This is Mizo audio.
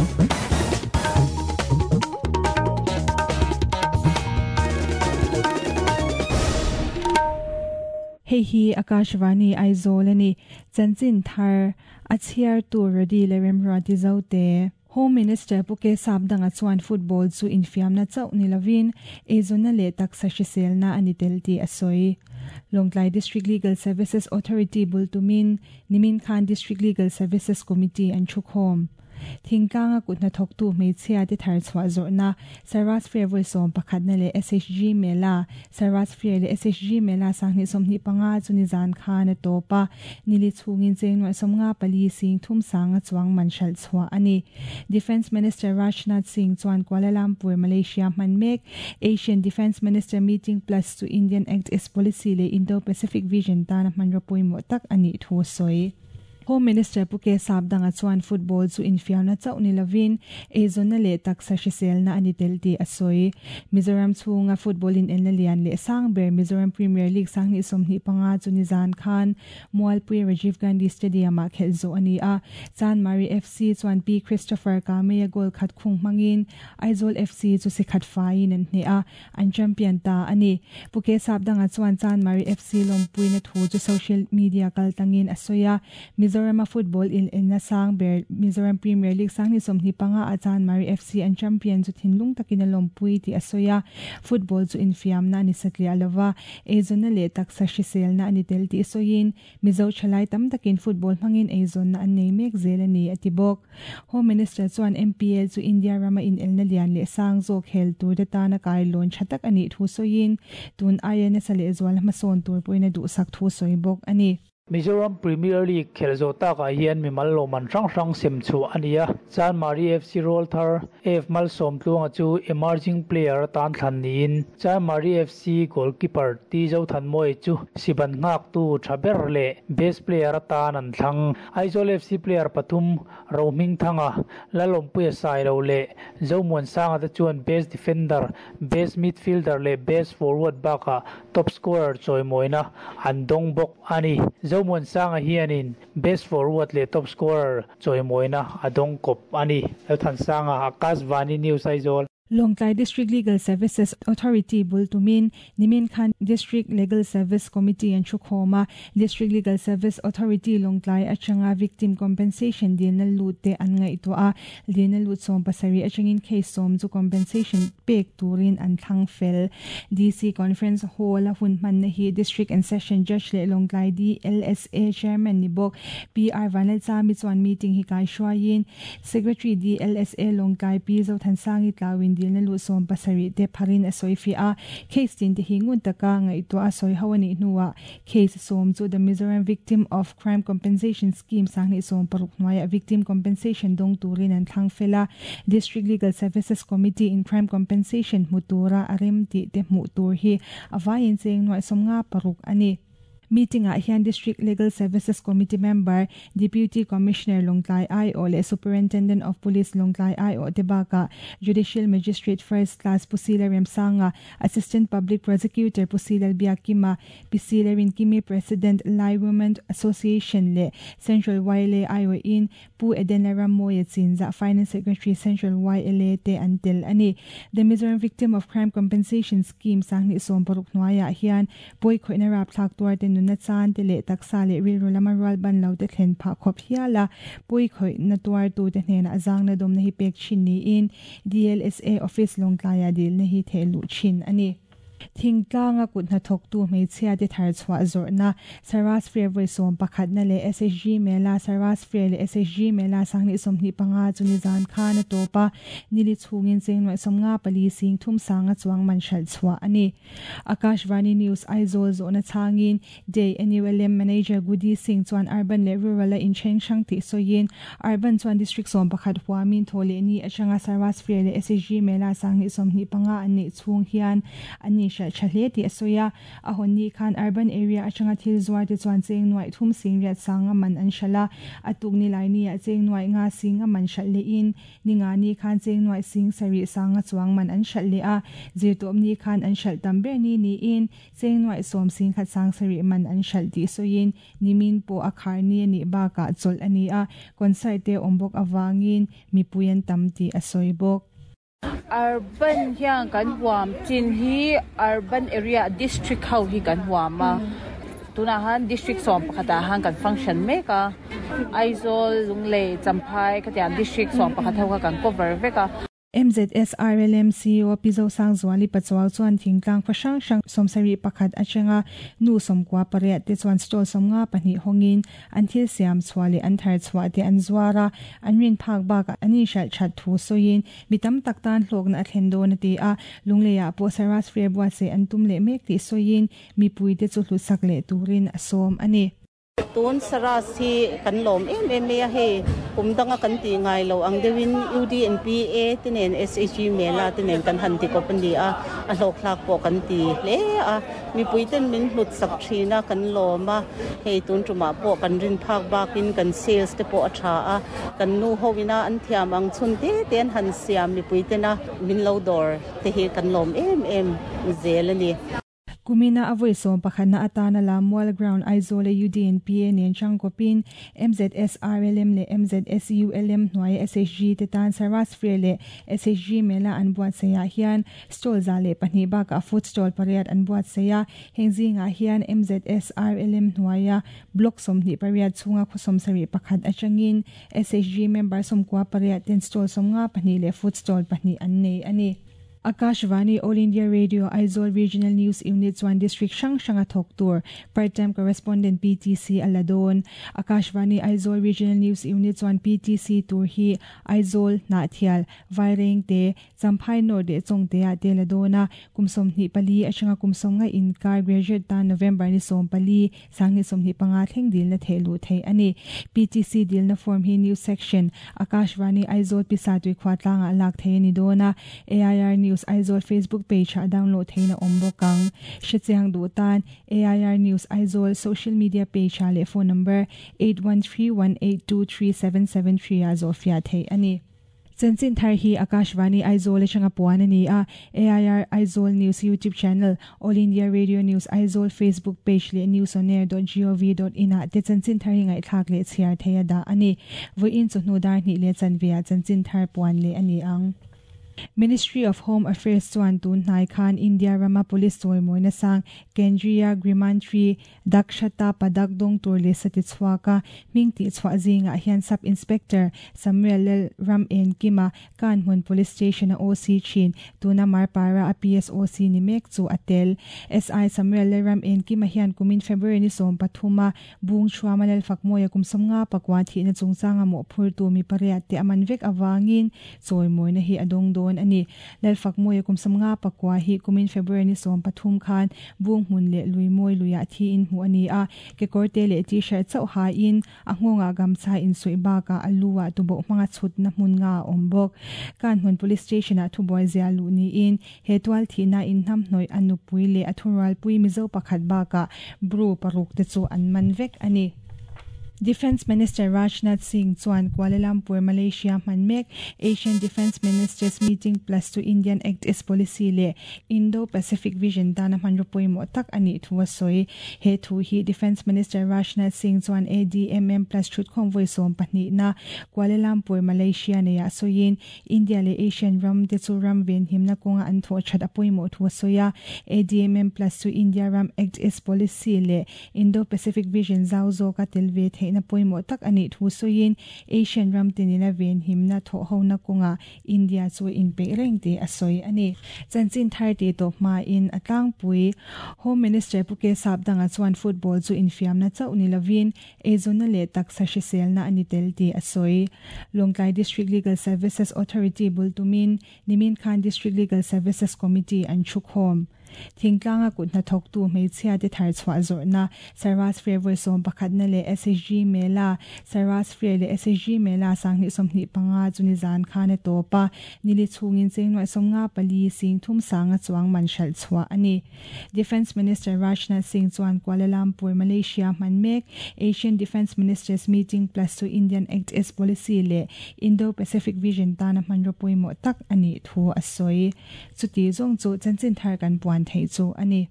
Hei hi Akashvani Aizawl a ni. Chanchin thar a chhiartu Rody leh Remruati Zote. Home Minister Pu Ke Sapdanga chuan football chu infiamna chauh ni lovin eizawnna leh taksa hriselna a ni tel tih a sawi. Lawngtlai District Legal Services Authority bul tumin nimin khan District Legal Services Committee an thukhawm. Thingtlanga kut hnathawktu hmeichhia te thar chhuah zawrhna Sarvas Fair vawi 11na leh SHG Mela Sarvas Fair leh SHG Mela 2025 chu nizan khan a tawp a, nili chhungin cheng nuaih 54 sing thum sanga chuang man hralh chhuah a ni. Defence Minister Rajnath Singh chuan Kuala Lumpur, Malaysia hman mek Asian Defence Minister Meeting Plus chu Indian Act East Policy leh Indo-Pacific Vision tana hmanraw pawimawh tak a nih thu a sawi. Home Minister Pu Ke Sapdanga chuan football chu infiamna chauh ni lovin eizawnna leh taksa hriselna a ni tel tih a sawi. Mizoram chhunga football inelna lian leh sang ber Mizoram Premier League 2025 chu nizan khan Mualpui Rajiv Gandhi Stadium-ah khelh zawh a ni a. Chanmari FC chuan P Christopher Kameia goal khat khung hmangin Aizawl FC chu si khat faiin an hneh a, an champion ta a ni. Pu Ke Sapdanga chuan Chanmari FC lawmpuina thu chu social media kal tlangin a sawi a, Mizorama football inelna sang ber Mizoram Premier League 2025 ah Chanmari FC an champion chu thinlung takin a lawmpui tih a sawi a, football chu infiamna a ni satliah lova, eizawnna leh taksa hriselna a ni tel tih sawiin Mizo thalai tam takin football hmangin eizawnna an nei mek zel a ni, a ti bawk. Home Minister chuan MPL chu India rama inelna lian leh sang zawk hel tur te tana kailawn tha tak a nih thu sawiin, tun aia nasa lehzual hmasawn tur pawhin a duhsak thu sawi bawk a ni. Mizoram Premier League khelh zawh takah hian mimal lawmman hrang hrang sem chhuah a ni a, Chanmari FC rawlthar F Malsawmtluanga chu Emerging Player atan thlan niin, Chanmari FC goalkeeper T Zothanmawia chu siban nghaktu tha ber leh Best Player atan an thlang. Aizawl FC player pathum Rohmingthanga, Lalawmpuia Sailo leh Zomuansanga te chuan Best Defender, Best Midfielder leh Best Forward bakah Top Scorer chawimawina an dawng bawk a ni. Zomuansanga hianin Best Forward leh Top Scorer chawimawina a dawng kawp a ni. Lalthansanga, Akashvani News Aizawl. Lawngtlai District Legal Services Authority bul tumin nimin khan District Legal Service Committee an thukhawm a, District Legal Service Authority Lawngtlai atanga Victim Compensation dilna lut te an ngaihtuah a, dilna lut 70 atangin case 10 chu compensation pek turin an thlang fel. DC Conference Hall a hun hmanna hi District and Session Judge leh Lawngtlai DLSA Chairman ni bawk PR Vanlalchami chuan meeting hi kaihruaiin Secretary DLSA Lawngtlai Pi Zothansangi tlauin dilna lut 70 te pharin a sawi fiah a, case tin te hi ngun taka ngaihtuah a sawi ho a nih hnuah case 10 chu The Mizoram Victim of Crime Compensation Scheme 2016 hnuaiah victim compensation dawng turin an thlang fel a, District Legal Services Committee in crime compensation hmu tura a rem tih te hmuh tur hi a vaiin cheng nuaih 56 a ni. Meeting ah hian District Legal Services Committee member, Deputy Commissioner Lawngtlai aiawh leh Superintendent of Police Lawngtlai aiawh te bakah Judicial Magistrate First Class Pu Sila Remsanga, Assistant Public Prosecutor Pu Silal Biakima, Pi Sila Rinkimi President Lai Women Association leh Central YLA aiawhin Pu Edena Rammawia Chinzah Finance Secretary Central YLA te an tel a ni. The Mizoram Victim of Crime Compensation Scheme 2016 hnuaiah hian pawi khawihna rapthlak tuar te nunna chan te leh taksa leh rilru lama rual ban lo te thlen phah khawp hial a, pawi khawihna tuartu te hnenah zangna dawmna hi pek thin niin DLSA Office Lawngtlaiah dilna hi theh luh thin a ni. Thingtlanga kut hnathawktu hmeichhia te thar chhuah zawrhna Sarvas Fair vawi 11na leh SHG Mela Sarvas Fair leh SHG Mela 2025 chu nizan khan a tawp a, nili chhungin cheng nuaih 54 sing thum sanga chuang man hralh chhuah a ni. Akashvani News Aizawl zawhna chhangin Day NULM Manager Gudi Singh chuan Urban leh Rural a inthen hrang tih sawiin Urban chuan District 11 huamin thaw leh ni atanga Sarvas Fair leh SHG Mela 2025 an neih chhung hian an in inhralh tha hle tih a sawi a. A hawn ni khan urban area atanga thil zuar te chuan cheng nuaih thum sing riat sanga man an hralh a, a tuk nilai niah cheng nuaih nga sing a man hralh lehin ninga ni khan cheng nuaih sing sarih sanga chuang man an hralh leh a, zirtawp ni khan an hralh tam ber ni niin cheng nuaih sawm sing khat sang sarih man an hralh tih sawiin nimin pawh a khar ni a nih bakah chawlh a ni a, concert te awm bawk avangin mipui an tam tih a sawi bawk. Urban hian kan huam chin hi urban area district ho hi kan huam a, tunah han district 11 ah han kan function mek a, Aizawl, Lunglei, Champhai khatiang district 11 ho kha kan cover vek a. MZS RLM CEO Pi Zosangzuali Pachuau chuan thingtlang khaw hrang hrang 71 atanga nu 98 te chuan stall 52 hawngin an thil siam chhuah leh an thar chhuah te an zuar a, an rin phak bakah an inhralh that thu sawiin mi tam tak tan hlawkna a thlen dawn a ti a, Lungleiah pawh Saras Fair buatsaih an tum leh mek tih sawiin mipuite chu hlutsak leh turin a sawm a ni. Tun Saras hi kan lawm em em mai a, hei kum danga kan tih ngai lo ang deuhin UDNPA te nen SHG Mela te nen kan han ti kawp a ni a, a hlawkthlak pawh kan ti hle a, mipui ten min hlut sak thin a, kan lawm a, hei tun tumah pawh kan rin phak bakin kan sales te pawh a tha a, kan nu ho ina an thiam ang chhun te te an han siam mipui tena min lo dawr te hi kan lawm em em zel a ni. Kumina a vawi 11na atana Lammual Ground Aizawl a UDNPA nen changkawpin MZS RLM leh MZS ULM hnuaia SHG te tan Saras Fair leh SHG Mela an buatsaihah hian stall 102 bakah food stall pariat an buatsaih a, heng zingah hian MZS RLM hnuaia block 28 chhunga khaw 71 atangin SHG member 98 ten stall 52 leh food stall 2 an nei a ni. Akashvani All India Radio Aizawl Regional News Unit chuan district hrang hranga thawk tur part time correspondent PTC a la dawn. Akashvani Aizawl Regional News Unit chuan PTC tur hi Aizawl, Hnahthial, Vairengte, Champhai North leh Chawngte ah te la dawn a, kum 24 atanga kum 50 inkar graduate tan November ni 14, 2025 thleng dilna theh luh theih a ni. PTC dilna form hi News Section, Akashvani Aizawl Pisa Tuikhua tlangah lak thei a ni dawn a, AIR News Aizawl Facebook page ah download theiin a awm bawk ang. Hrechiang duh tan AIR News Aizawl social media page ah leh phone number 8131823773 ah zawhfiah theih a ni. Chanchin thar hi Akashvani Aizawl atanga puan a ni a, AIR Aizawl News YouTube channel, All India Radio News Aizawl Facebook page leh newsonair.gov.in ah te chanchin thar hi ngaihthlak leh chhiar thei a dah a ni. Vawiin chawhnu dar hnih leh chanve ah chanchin thar puan leh a ni ang. Ministry of Home Affairs chuan tun hnai khan India rama police chawimawina sang Kendriya Grimantri Dakshata Padak dawng tur leh sati chhuak a hming tih chhuah zingah hian Sub Inspector Samuel Lal Ram En Kima Kanhmun Police Station a OC thin tuna Marpara a PSOC ni mek chu a tel. SI Samuel Lal Ram En Kima hian kumin February ni 13 a Bung Thuama Lal Fakmawia kum 59 thihna chungchanga mawhphurtu mi pariat te a man vek awangin chawimawina hi a dawng dawn a ni. Lal Fakmawia kum 59 hi kumin February ni 13 khan Bung hmun leh lui mawi luiah thiin hmuh a ni a, kekawrte leh t-shirt chauh hain a nghawngah gamcha insuih bakah a lu ah tuboh hmanga chhutna hmun nga a awm bawk. Kanhmun Police Station ah thubuai zia luh niin he tual thihna inhnamhnawih a nupui leh a thurualpui Mizo pakhat bakah Bru paruk te chu an man vek a ni. Defence Minister Rajnath Singh chuan Kuala Lumpur, Malaysia hman mek Asian Defence Ministers Meeting Plus chu Indian Act East Policy leh Indo-Pacific Vision tana hmanraw pawimawh tak a nih thu a sawi. He thu hi Defence Minister Rajnath Singh chuan ADMM Plus thutkhawm vawi 12 na Kuala Lumpur, Malaysia neiah sawiin India leh Asian ram te chu ram venhimna kawnga an thawh that a pawimawh thu a sawi a. ADMM Plus chu India ram Act East Policy leh Indo-Pacific Vision zau zawka tel ve theihna pawimawh tak a nih thu sawiin Asian ram tinina venhimna thawh hona kawnga India chu inpeih reng tih a sawi a ni. Chanchin thar tih tawp hmain a tlangpui Home Minister Pu K Sapdanga chuan football chu infiamna chauh ni lovin eizawnna leh taksa hriselna a ni tel tih a sawi. Lawngtlai District Legal Services Authority bul tumin nimin khan District Legal Services Committee an thu khawm. Thingtlanga kut hnathawktu hmeichhia te thar chhuah zawrhna Saras Fair vawi 11 na leh SHG Mela Saras Fair leh SHG Mela 2025 chu nizan khan a tawp a, nili chhungin cheng nuaih 54 sing thum sanga chuang man hralh chhuah a ni. Defence Minister Rajnath Singh chuan Kuala Lumpur, Malaysia hman mek Asian Defence Ministers Meeting Plus chu Indian Act East Policy leh Indo-Pacific Vision tana hmanraw pawimawh tak a nih thu a sawi. Chuti zawng chu chanchin thar kan puan theih chu a ni.